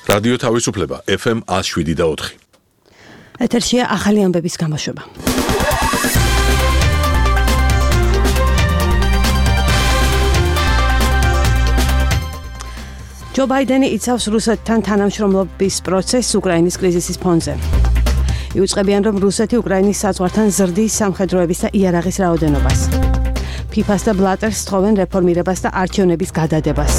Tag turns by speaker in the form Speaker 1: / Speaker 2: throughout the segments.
Speaker 1: რადიო თავისუფლება FM 107.4.
Speaker 2: ეთერშია ახალი ამბების გამოშვება. ჯო ბაიდენი იცავს რუსეთთან თანამშრომლობის პროცესს უკრაინის კრიზისის ფონზე. იუწყებიან, რომ რუსეთი უკრაინის საზღვართან ზრდის სამხედროების და იარაღის რაოდენობას. ფიფას და ბლატერს თხოვენ რეფორმირებას და არჩევნების გადადებას.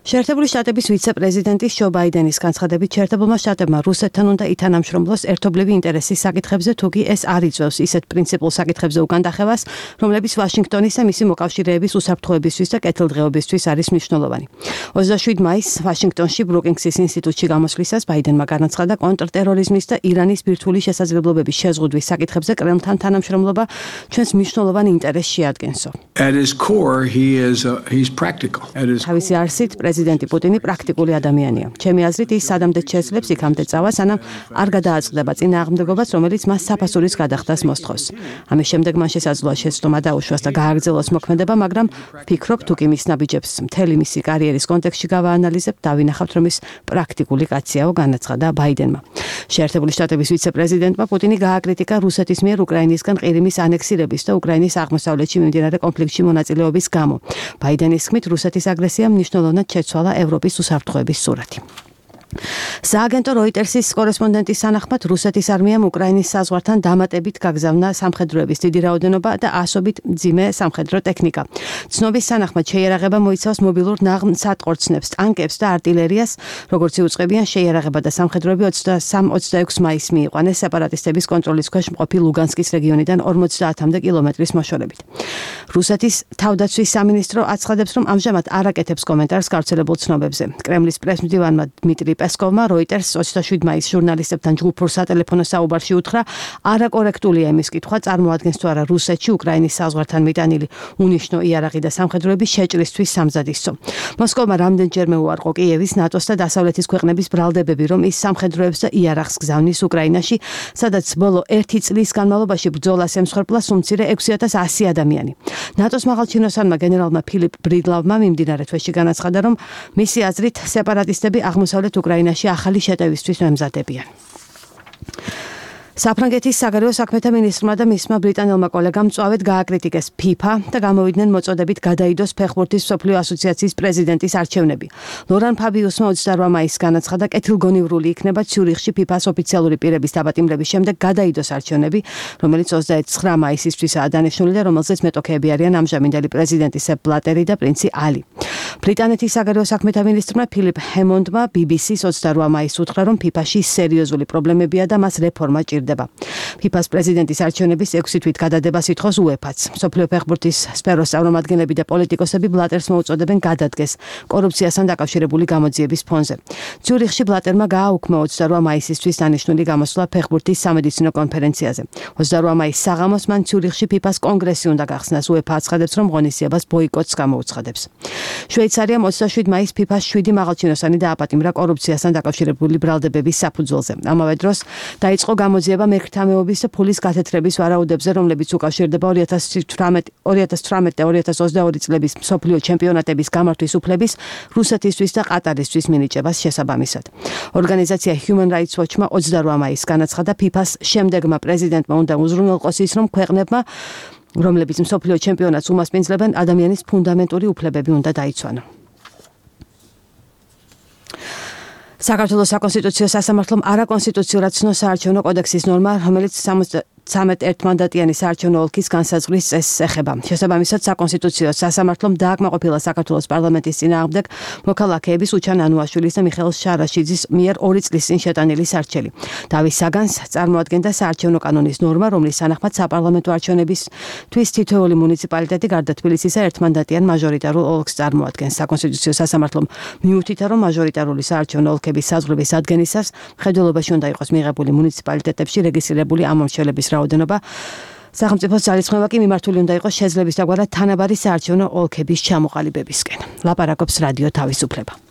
Speaker 2: შეერთებული შტატების ვიცე-პრეზიდენტის ჯო ბაიდენის განცხადებით, შეერთებულმა შტატებმა რუსეთთან უნდა ითანამშრომლოს ერთობლივი ინტერესის საკითხებზე, თუკი ეს არ იწვევს ისეთ პრინციპულ საკითხებზე უკანდახევას, რომლებიც ვაშინგტონის და მისი მოკავშირეების უსაფრთხოებისთვის და კეთილდღეობისთვის არის მნიშვნელოვანი. 27 მაისს ვაშინგტონში ბრუკინგსის ინსტიტუტში გამოსვლისას ბაიდენმა განაცხადა, კონტრტერორიზმის და ირანის ბირთვული შესაძლებლობების შეზღუდვის საკითხებზე კრემლთან თანამშრომლობა ჩვენს მნიშვნელოვან ინტერესს შეადგენსო.
Speaker 3: At his core, he's practical.
Speaker 2: თავისი არსით პრეზიდენტი პუტინი პრაქტიკული ადამიანია. ჩემი აზრით, ის სადამდე შეძლებს იქამდე წავა, სანამ არ გადააწყდება წინააღმდეგობას, რომელიც მას საფასურის გადახდას მოსთხოვს. ამის შემდეგ მან შესაძლოა შეცდომა დაუშვას და გააგრძელოს მოქმედება, მაგრამ ვფიქრობ, თუ კი მის ნაბიჯებს მთელი მისი კარიერის კონტექსტში გავაანალიზებთ, დავინახავთ, რომ ის პრაქტიკული კაციაო, განაცხადა ბაიდენმა. შეერთებული შტატების ვიცე-პრეზიდენტმა პუტინი გააკრიტიკა რუსეთის მიერ უკრაინისგან ყირიმის ანექსირების და უკრაინის აღმოსავლეთში მიმდინარე კონფლიქტში მონაწილეობის გამო. ბაიდენის თქმით, რუსეთის აგრესიამ მნიშვნელოვნად შეცვალა ევროპის უსაფრთხოების სურათი. სააგენტო როიტერსის კორესპონდენტის თანახმად, რუსეთის არმიამ უკრაინის საზღვართან დამატებით გაგზავნა სამხედროების დიდი რაოდენობა და ასობით მძიმე სამხედრო ტექნიკა. ცნობის თანახმად, შეიარაღება მოიცავს მობილურ ნაღმსატყორცნებს, ტანკებს და არტილერიას, როგორც იუწყებიან, შეიარაღება და სამხედროები 23-26 მაისს მიიყვანეს სეპარატისტების კონტროლის ქვეშ მყოფი ლუგანსკის რეგიონიდან 50-მდე კილომეტრის მოშორებით. რუსეთის თავდაცვის სამინისტრო აცხადებს, რომ ამჟამად არ აკეთებს კომენტარს გავრცელებულ ცნობებზე. კრემლის პრესმდივანმა დმიტრი პესკოვმა როიტერს 27 მაისს ჟურნალისტებთან ჯგუფურ სატელეფონო საუბარში უთხრა, არაკორექტულია იმის კითხვა, წარმოადგენს თუ არა რუსეთში უკრაინის საზღვართან მიტანილი უნიშნო იარაღი და სამხედროების შეჭრისთვის სამზადისო. მოსკოვმა რამდენჯერმე უარყო კიევის, ნატოს და დასავლეთის ქვეყნების ბრალდებები, რომ ის სამხედროებს და იარაღს გზავნის უკრაინაში, სადაც ბოლო 1 წლის განმავლობაში ბრძოლას ემსხვერპლა უმცირე 6100 ადამიანი. ნატოს მაღალჩინოსანმა გენერალმა ფილიპ ბრიდლავმა მიმდინარე თვეში განაცხადა, რომ მისი აზრით სეპარატისტები აღმოსავლეთ უკრაინაში ახალი შეტევისთვის მემზადებიან. საფრანგეთის საგარეო საქმეთა მინისტრმა და მისმა ბრიტანელმა კოლეგამ მწვავედ გააკრიტიკეს FIFA და გამოვიდნენ მოწოდებით გადაიდოს ფეხბურთის მსოფლიო ასოციაციის პრეზიდენტის არჩევნები. ლორან ფაბიუსმა 28 მაისს განაცხადა, კეთილგონივრული იქნება ციურიხში FIFA-ს ოფიციალური პირების დაპატიმრების შემდეგ გადაიდოს არჩევნები, რომელიც 29 მაისისთვისაა დანიშნული და რომელზეც მეტოქეები არიან ამჟამინდელი პრეზიდენტი სეპ ბლატერი და პრინცი ალი. ბრიტანეთის საგარეო საქმეთა მინისტრმა ფილიპ ჰემონდმა BBC-ს 28 მაისს უთხრა, რომ FIFA-ში სერიოზული პრობლემებია და მას რეფორმა ჭირდება. FIFA-ს პრეზიდენტის არჩევნების 6 თვით გადადებას ითხოვს UEFA-ც. მსოფლიო ფეხბურთის სფეროს წარმომადგენლები და პოლიტიკოსები ბლატერს მოუწოდებენ გადადგეს კორუფციასთან დაკავშირებული გამოძიების ფონზე. ციურიხში ბლატერმა გააუქმა 28 მაისისთვის დანიშნული გამოსვლა ფეხბურთის სამედიცინო კონფერენციაზე. 28 მაისს საღამოს მან ციურიხში FIFA-ს კონგრესი უნდა გახსნას. UEFA აცხადებს, რომ ღონისძიებას ბოიკოტს გამოუცხადებს. შვეიცარიამ 27 მაისს FIFA-ს 7 მაღალჩინოსანი დააპატიმრა კორუფციასთან დაკავშირებული ბრალდებების საფუძველზე. ამავე დროს დაიწყო გამოძიება მერქთამეობის და ფულის გათეთრების ვარაუდებზე, რომლებიც უკავშირდება 2018 და 2022 წლების მსოფლიო ჩემპიონატების გამართვის უფლების რუსეთისთვის და ყატარისთვის მინიჭებას შესაბამისად. ორგანიზაცია Human Rights Watch-მა 28 მაისს განაცხადა, FIFA-ს შემდეგმა პრეზიდენტმა უნდა უზრუნველყოს ის, რომ ქვეყნებმა, რომლებიც მსოფლიო ჩემპიონატს უმასპინძლებენ, ადამიანის ფუნდამენტური უფლებები უნდა დაიცვანო. საქართველოს საკონსტიტუციო სასამართლომ არაკონსტიტუციურად ცნო საარჩევნო კოდექსის ნორმა, რომელიც 13 მანდატიანი საარჩევნო ოლქის განსაზღვრის წესს ეხება. შესაბამისად, საკონსტიტუციო სასამართლომ დააკმაყოფილა საქართველოს პარლამენტის წინააღმდეგ მოქალაქეების უჩან ანუაშვილის და მიხეილ შარაშიძის მიერ 2 წლის წინ შეტანილი სარჩელი. დავით საგანს წარმოადგენდა საარჩევნო კანონის ნორმა, რომლის თანახმად საპარლამენტო არჩევნებისთვის თითოეული მუნიციპალიტეტი გარდა თბილისისა ერთმანდატიან მაჟორიტარულ ოლქს წარმოადგენს. საკონსტიტუციო სასამართლომ მიუთითა, რომ მაჟორიტარული საარჩევნო ოლქების საზღვრების ადგენისას მხედველობაში უნდა იყოს მიღებული მუნიციპალიტეტებში რეგისტრირებული ამომრჩევლების რაოდენობა. სახელმწიფოს ძალისხმევა კი მიმართული უნდა იყოს შეძლების დაგვარად თანაბარი საარჩევნო ოლქების ჩამოყალიბებისკენ. ლაპარაკობს რადიო თავისუფლება.